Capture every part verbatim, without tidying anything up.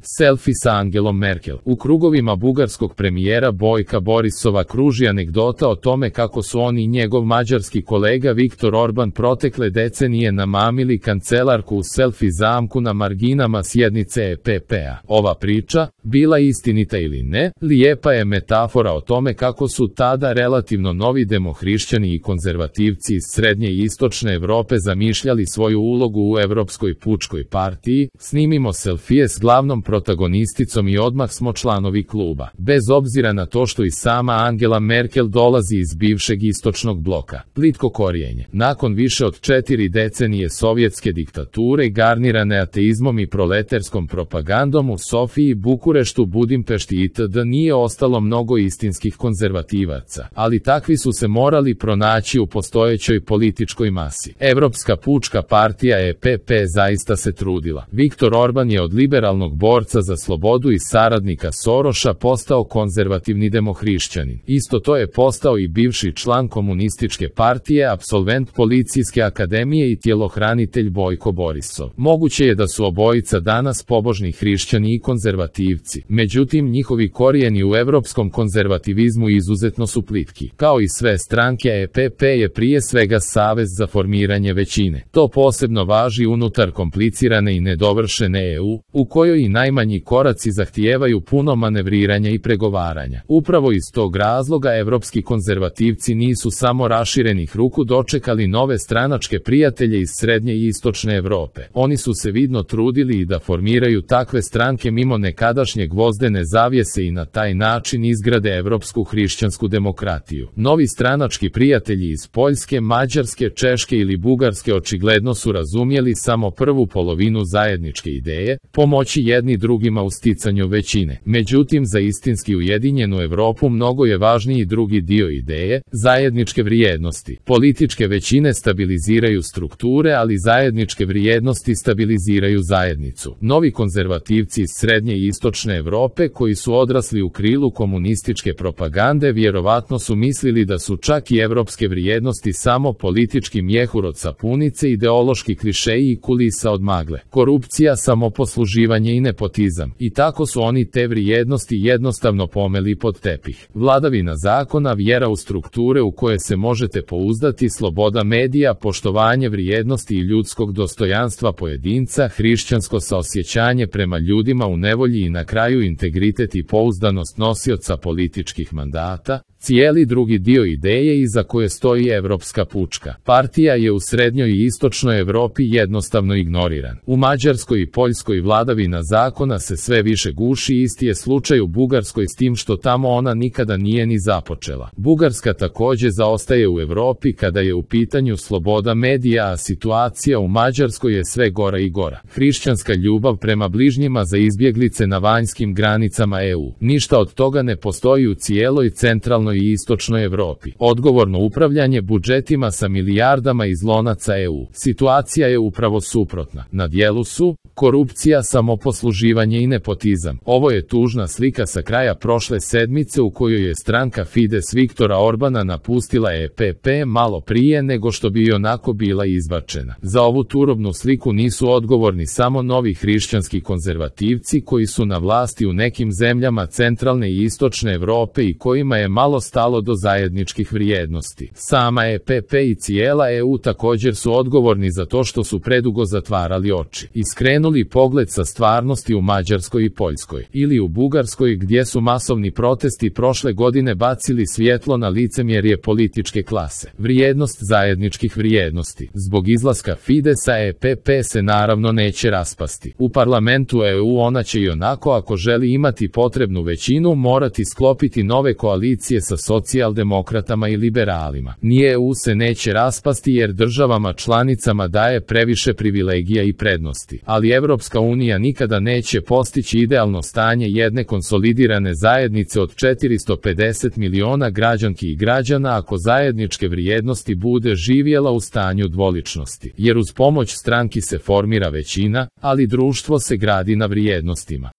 Selfie sa Angelom Merkel. U krugovima bugarskog premijera Bojka Borisova kruži anegdota o tome kako su on i njegov mađarski kolega Viktor Orban protekle decenije namamili kancelarku u selfie zamku na marginama sjednice E P P-a. Ova priča, bila istinita ili ne, lijepa je metafora o tome kako su tada relativno novi demohrišćani i konzervativci iz srednje i istočne Evrope zamišljali svoju ulogu u Evropskoj pučkoj partiji. Snimimo selfije s glavnom protagonisticom i odmah smo članovi kluba. Bez obzira na to što i sama Angela Merkel dolazi iz bivšeg istočnog bloka. Plitko korijenje. Nakon više od četiri decenije sovjetske diktature garnirane ateizmom i proleterskom propagandom u Sofiji, Bukureštu, Budimpešti itd. nije ostalo mnogo istinskih konzervativaca, ali takvi su se morali pronaći u postojećoj političkoj masi. Evropska pučka partija E P P zaista se trudila. Viktor Orban je od liberalnog borca za slobodu i saradnika Soroša postao konzervativni demohrišćanin. Isto to je postao i bivši član komunističke partije, apsolvent policijske akademije i tjelohranitelj Bojko Borisov. Moguće je da su obojica danas pobožni hrišćani i konzervativci, međutim njihovi korijeni u evropskom konzervativizmu izuzetno su plitki. Kao i sve stranke, E P P je prije svega savez za formiranje većine. To posebno važi unutar komplicirane i nedovršene E U, u kojoj i najmanji koraci zahtijevaju puno manevriranja i pregovaranja. Upravo iz tog razloga evropski konzervativci nisu samo raširenih ruku dočekali nove stranačke prijatelje iz srednje i istočne Evrope. Oni su se vidno trudili i da formiraju takve stranke mimo nekadašnje gvozdene zavjese i na taj način izgrade evropsku hrišćansku demokratiju. Novi stranački prijatelji iz Poljske, Mađarske, Češke ili Bugarske očigledno su razumjeli samo prvu polovinu zajedničke ideje, pomoći jedni drugima u sticanju većine. Međutim, za istinski ujedinjenu Evropu mnogo je važniji drugi dio ideje, zajedničke vrijednosti. Političke većine stabiliziraju strukture, ali zajedničke vrijednosti stabiliziraju zajednicu. Novi konzervativci iz srednje i istočne Evrope koji su odrasli u krilu komunističke propagande vjerovatno su mislili da su čak i evropske vrijednosti samo politički mjehur od sapunice, ideološki klišeji i kulisa od magle. Korupcija, samoposluživanje i nepotizam. I tako su oni te vrijednosti jednostavno pomeli pod tepih. Vladavina zakona, vjera u strukture u koje se možete pouzdati, sloboda medija, poštovanje vrijednosti i ljudskog dostojanstva pojedinca, hrišćansko saosjećanje prema ljudima u nevolji i na kraju integritet i pouzdanost nosioca političkih mandata. Cijeli drugi dio ideje iza koje stoji Evropska pučka partija je u srednjoj i istočnoj Evropi jednostavno ignoriran. U Mađarskoj i Poljskoj vladavina zakona se sve više guši, isti je slučaj u Bugarskoj s tim što tamo ona nikada nije ni započela. Bugarska također zaostaje u Evropi kada je u pitanju sloboda medija, a situacija u Mađarskoj je sve gora i gora. Hrišćanska ljubav prema bližnjima za izbjeglice na vanjskim granicama E U. Ništa od toga ne postoji u cijeloj centralnoj i istočnoj Evropi. Odgovorno upravljanje budžetima sa milijardama iz lonaca E U. Situacija je upravo suprotna. Na djelu su korupcija, samoposluživanje i nepotizam. Ovo je tužna slika sa kraja prošle sedmice u kojoj je stranka Fides Viktora Orbana napustila E P P malo prije nego što bi onako bila izbačena. Za ovu turobnu sliku nisu odgovorni samo novi hrišćanski konzervativci koji su na vlasti u nekim zemljama centralne i istočne Evrope i kojima je malo stalo do zajedničkih vrijednosti. Sama E P P i cijela E U također su odgovorni za to što su predugo zatvarali oči i skrenuli pogled sa stvarnosti u Mađarskoj i Poljskoj ili u Bugarskoj gdje su masovni protesti prošle godine bacili svjetlo na licemjerje političke klase. Vrijednost zajedničkih vrijednosti. Zbog izlaska Fidesa E P P se naravno neće raspasti. U parlamentu E U ona će i onako, ako želi imati potrebnu većinu, morati sklopiti nove koalicije sa socijaldemokratama i liberalima. Ni E U se neće raspasti jer državama članicama daje previše privilegija i prednosti, ali Evropska unija nikada neće postići idealno stanje jedne konsolidirane zajednice od četiristo pedeset miliona građanki i građana ako zajedničke vrijednosti bude živjela u stanju dvoličnosti, jer uz pomoć stranki se formira većina, ali društvo se gradi na vrijednostima.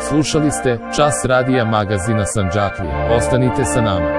Slušali ste Čas radija magazina Sandžaklija. Ostanite sa nama.